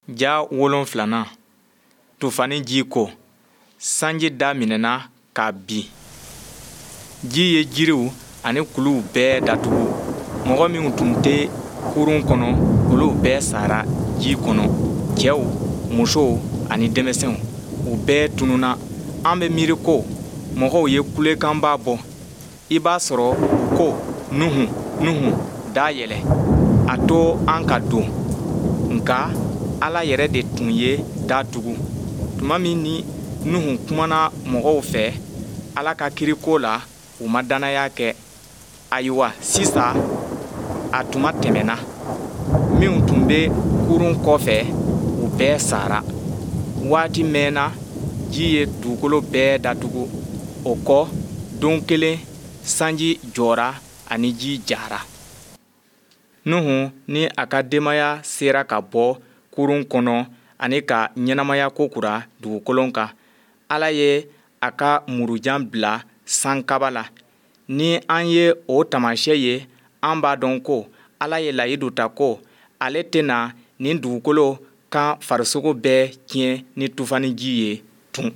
Ja wolonfilanan, tufani ji ko. Sanji daminɛna ka bin. Ji ye jiriw ani kuluw bɛɛ datugu. Mɔgɔ minw tun tɛ kurun kɔnɔ, olu bɛɛ sara ji kɔnɔ, cɛw, musow ani denmisɛnw. U bɛɛ tununna. An bɛ miiri ko mɔgɔw ye kulekanba bɔ. I b'a sɔrɔ u ko, Nuhun, Nuhun, da yɛlɛ, a to an ka don. Nka Ala yɛrɛ de tun ye da tugu. Tuma min ni Nuhun kumana mɔgɔw fɛ Ala ka kiri ko la, u ma dannaya kɛ. Ayiwa sisan a tuma tɛmɛna. Minw tun bɛ kurun kɔfɛ, u bɛɛ sara. Waati mɛnna, ji ye dugukolo bɛɛ datugu. O kɔ, don kelen, sanji jɔra ani ji jara. Nuhun ni a ka denbaya sera ka bɔ kurun kɔnɔ ani ka ɲɛnamaya kokura dugukolo kan. Ala ye a ka murujan bila sankaba la. Ni an ye o taamashyɛn ye, an b'a dɔn ko Ala ye layidu ta ko ale tɛna nin dugukolo kan farisogo bɛɛ tiɲɛ ni tufani ji ye tun.